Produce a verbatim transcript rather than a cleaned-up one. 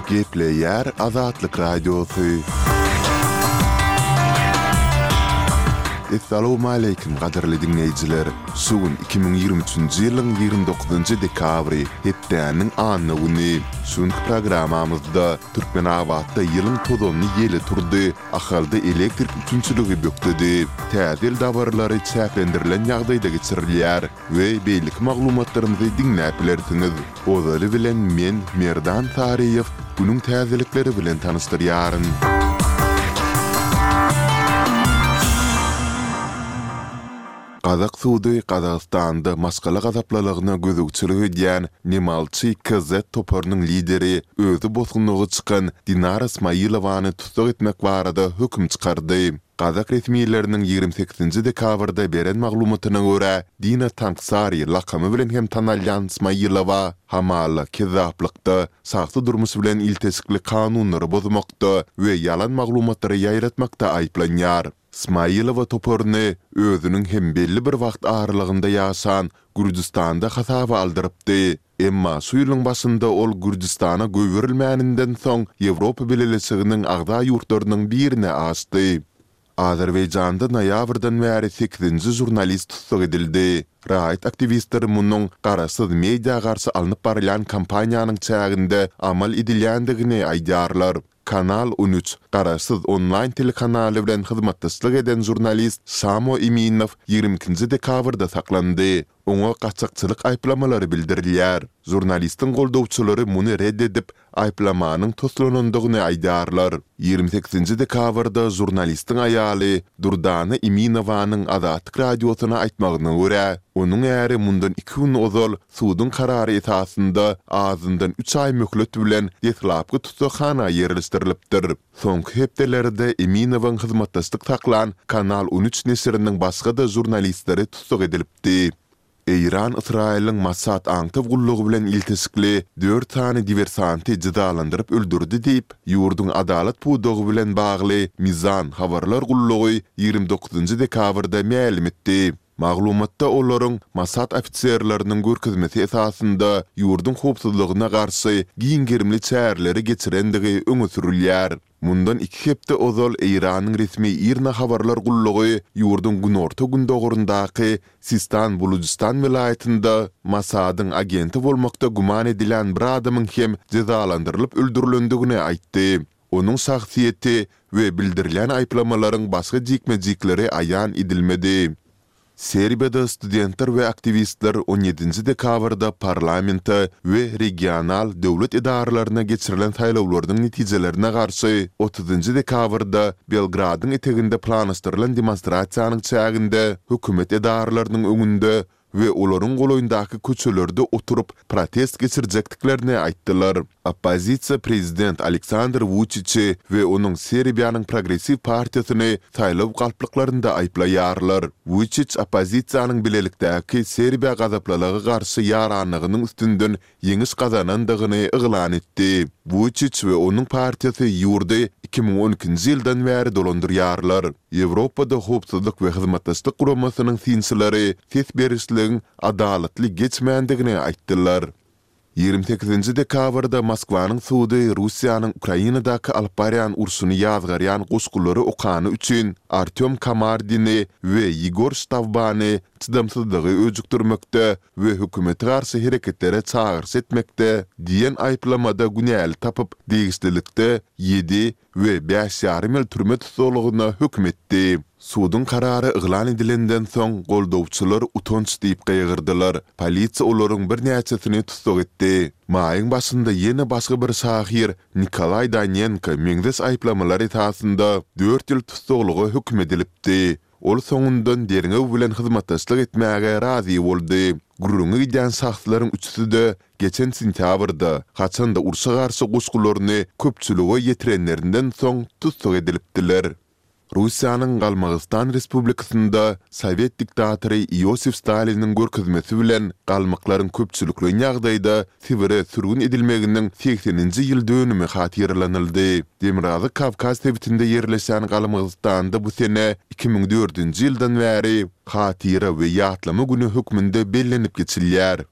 Gepleýär Azatlyk Radiosy. Essalawmaleýkim gadyrly diňleýjiler! Şu gün iki müň ýigrimi üçünji ýylyň ýigrimi dokuzynjy dekabry, hepdäniň anna güni. Şu günki programmamyzda Türkmenabatda ýylyň tozanly ýeli turdy, Ahalda elektrik üpjünçiligi bökdedi. Täze ýyl dabaralary çäklendirilen ýagdaýda geçirilýär we beýleki maglumatlarymyzy diňläp bilersiňiz. Ozaly bilen men, Merdan Saryýew, günüň täzelikleri bilen tanyşdyrýaryn. Gazak sudy Gazagystanda maşgala gazaplylygyna gözegçilik edýän Nemalçy KZ toparynyň lideri, özi bosgunlyga çykan Dinara Smailowany tussag etmek barada höküm çykardy. Gazak resmileriniň ýigrimi sekizinji dekabrda beren maglumatyna görä, Dina Tanksari lakamy bilen hem tanalýan Smailowa hamala kezzaplykda, şahsy durmuş bilen ilteşikli kanunlary bozmakda we ýalan maglumatlary ýaýratmakda aýyplanýar. Smailowa toparyny özüniň hem belli bir wagt aralygynda ýaşan Gürjüstanda hasaba aldyrypdy. Emma şu ýylyň başynda ol Gürjüstana goýberilmäninden soň Ýewropa Bileleşiginiň agza ýurtlarynyň birine aşdy. Azerbaýjanda noýabrdan bäri sekizinji žurnalist tussag edildi. Raýat aktiwistleri munuň garaşsyz media garşy alnyp barylýan kampaniýanyň çäginde amal edilýändigini aýdýarlar. Kanal on üç garaşsyz onlaýn telekanaly bilen hyzmatdaşlyk eden žurnalist Samo Eminow ýigrimi ikinji dekabrda saklandy. Oňa gaçakçylyk aýyplamalary bildirilýär. Žurnalistiň goldawçylary muny ret edip, aýyplamanyň toslanandygyny aýdýarlar. Ýigrimi sekizinji dekabrda žurnalistiň aýaly Durdana Eminowanyň Azatlyk Radiosyna aýtmagyna görä, onuň äri mundan iki gün ozal suduň karary esasynda azyndan üç aý möhlet bilen deslapky tussaghana ýerleşdirilipdir. Soňky hepdelerde Eminowyň hyzmatdaşlyk saklan Kanal on üç neşiriniň başga-da žurnalistleri tussag edilipdi. Eýran Ysraýylyň Mossad aňtaw gullugy bilen ilteşikli dört sany diwersanty jezalandyryp öldürdi diýip, ýurduň adalat pudagy bilen bagly Mizan habarlar gullugy ýigrimi dokuzynjy dekabrda mälim etdi. Maglumatda olaryň Mossad ofiserleriniň görkezmesi esasynda ýurduň howpsuzlygyna garşy giň gerimli çäreleri geçirendigi öňe sürülýär. Mundan iki hepde ozal Eýranyň resmi IRNA habarlar gullugy ýurduň günorta-gündogaryndaky Sistan-Bulujystan welaýatynda Mossadyň agenti bolmakda güman edilýän bir adamyň hem jezalandyrylyp öldürilendigini aýtdy. Onuň şahsyýeti we bildirilýän aýyplamalaryň başga jikme-jikleri aýan edilmedi. Serbiýada studentler we aktiwistler on ýedinji dekabrda parlamente we regional döwlet edaralaryna geçirilen saýlawlarynyň netijelerine garşy otuzynjy dekabrda Belgradyň eteginde planlaşdyrylan demonstrasiýanyň çäginde hökümet edaralarynyň öňünde we olaryň golaýyndaky köçelerde oturyp protest geçirjekdiklerini aýtdylar. Oppozisiýa prezident Aleksandr Wuçiçi we onuň Serbiýanyň Progressiw partiýasyny saýlaw galplyklarynda aýyplaýarlar. Wuçiç oppozisiýanyň bilelikdäki Serbiýa gazaplylyga garşy ýaranlygynyň üstünden ýeňiş gazanandygyny yglan etdi. Wuçiç we onuň partiýasy ýurdy iki müň on ikinji ýyldan bäri dolandyrýarlar. Ýewropada Howpsuzlyk we Hyzmatdaşlyk Guramasynyň synçylary ses berişligiň adalatly geçmändigini aýtdylar. Ýigrimi sekizinji dekabrda Moskwanyň sudy Russiýanyň Ukrainadaky alyp barýan urşuny ýazgarýan goşgulary okany üçin Artýom Kamardini we Ýegor Ştawbany çydamsyzlygy öjükdirmekde we hökümete garşy hereketlere çagyryş etmekde diýen aýyplamada günäli tapyp, degişlilikde ýedi we bäş ýarym ýyl türme tussaglygyna höküm etdi. Suduň karary yglan edilenden soň, goldawçylar utanç diýip gygyrdylar, polisiýa olaryň birnäçesini tussag etdi. Maýyň başynda ýene başga bir şahyr Nikolaý Danenko meňzeş aýyplamalar esasynda dört ýyl tussaglyga höküm edilipdi. Ol soňundan derňew bilen hyzmatdaşlyk etmäge razy boldy. Gürrüňi gidýän şahslaryň üçüsi-de geçen sentýabrda, haçan-da urşa garşy goşgularyny köpçülige ýetirenlerinden soň tussag edilipdiler. Russiýanyň Galmygystan Respublikasynda sowet diktatory Iosif Staliniň görkezmesi bilen galmyklaryň köpçülikleýin ýagdaýda Sibire sürgün edilmeginiň segseninji ýyl dönümi hatyralanyldy. Demirgazyk Kawkaz sebitinde ýerleşýän Galmygystanda bu sene iki müň dördünji ýyldan bäri Hatyra we ýatlama güni hökmünde bellenip geçilýär.